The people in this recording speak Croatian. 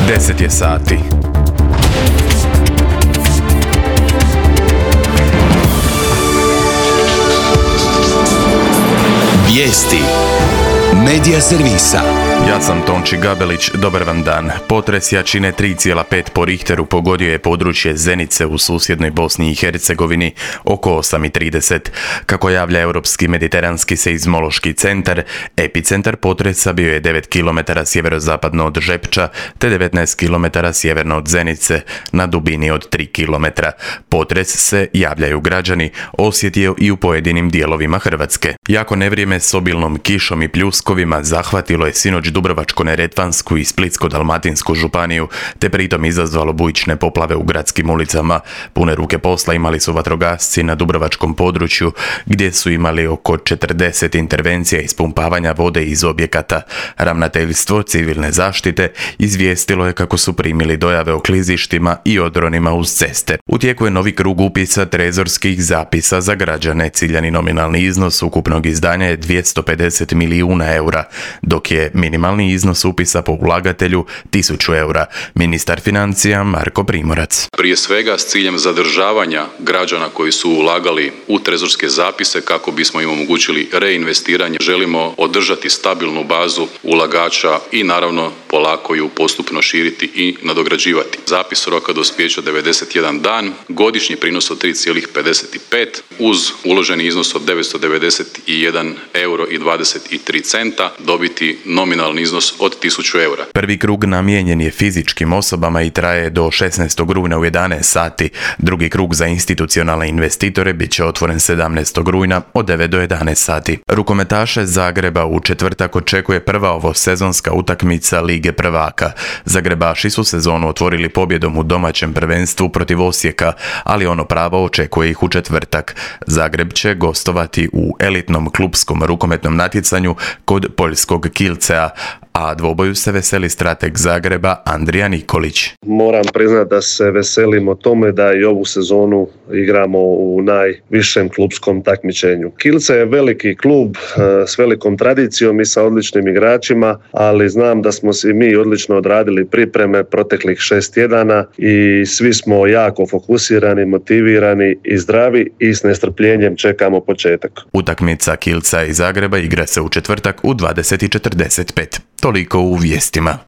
10 je sati. Vijesti Medija servisa. Ja sam Tonči Gabelić, dobar vam dan. Potres jačine 3,5 po Richteru pogodio je područje Zenice u susjednoj Bosni i Hercegovini oko 8:30. Kako javlja Europski mediteranski seizmološki centar, epicentar potresa bio je 9 km sjeverozapadno od Žepča te 19 km sjeverno od Zenice na dubini od 3 km. Potres se, javljaju građani, osjetio i u pojedinim dijelovima Hrvatske. Jako nevrijeme s obilnom kišom i pljuskovima zahvatilo je sinoć Dubrovačko-neretvansku i Splitsko-dalmatinsku županiju, te pritom izazvalo bujične poplave u gradskim ulicama. Pune ruke posla imali su vatrogasci na dubrovačkom području, gdje su imali oko 40 intervencija ispumpavanja vode iz objekata. Ravnateljstvo civilne zaštite izvijestilo je kako su primili dojave o klizištima i odronima uz ceste. U tijeku je novi krug upisa trezorskih zapisa za građane. Ciljani nominalni iznos ukupnog izdanja je 250 milijuna eura, dok je minimalni iznos upisa po ulagatelju 1000 eura. Ministar financija Marko Primorac. Prije svega s ciljem zadržavanja građana koji su ulagali u trezorske zapise kako bismo im omogućili reinvestiranje. Želimo održati stabilnu bazu ulagača i naravno polako ju postupno širiti i nadograđivati. Zapis roka dospijeća 91 dan, godišnji prinos od 3,55 uz uloženi iznos od 991 euro i 23 centa dobiti nominalni iznos od 1000 eura. Prvi krug namijenjen je fizičkim osobama i traje do 16. rujna u 11 sati. Drugi krug za institucionalne investitore bit će otvoren 17. rujna od 9 do 11 sati. Rukometaše Zagreba u četvrtak očekuje prva ovosezonska utakmica Lige prvaka. Zagrebaši su sezonu otvorili pobjedom u domaćem prvenstvu protiv Osijeka, ali ono pravo očekuje ih u četvrtak. Zagreb će gostovati u elitnom klupskom rukometnom natjecanju kod poljskog Kielcea, a dvoboju se veseli strateg Zagreba Andrija Nikolić. Moram priznati da se veselimo tome da i ovu sezonu igramo u najvišem klupskom takmičenju. Kielce je veliki klub s velikom tradicijom i sa odličnim igračima, ali znam da smo si mi odlično odradili pripreme proteklih 6 tjedana i svi smo jako fokusirani, motivirani i zdravi i s nestrpljenjem čekamo početak. Utakmica Kielca i Zagreba igra se u četvrtak u 20:45. Toliko u vijestima.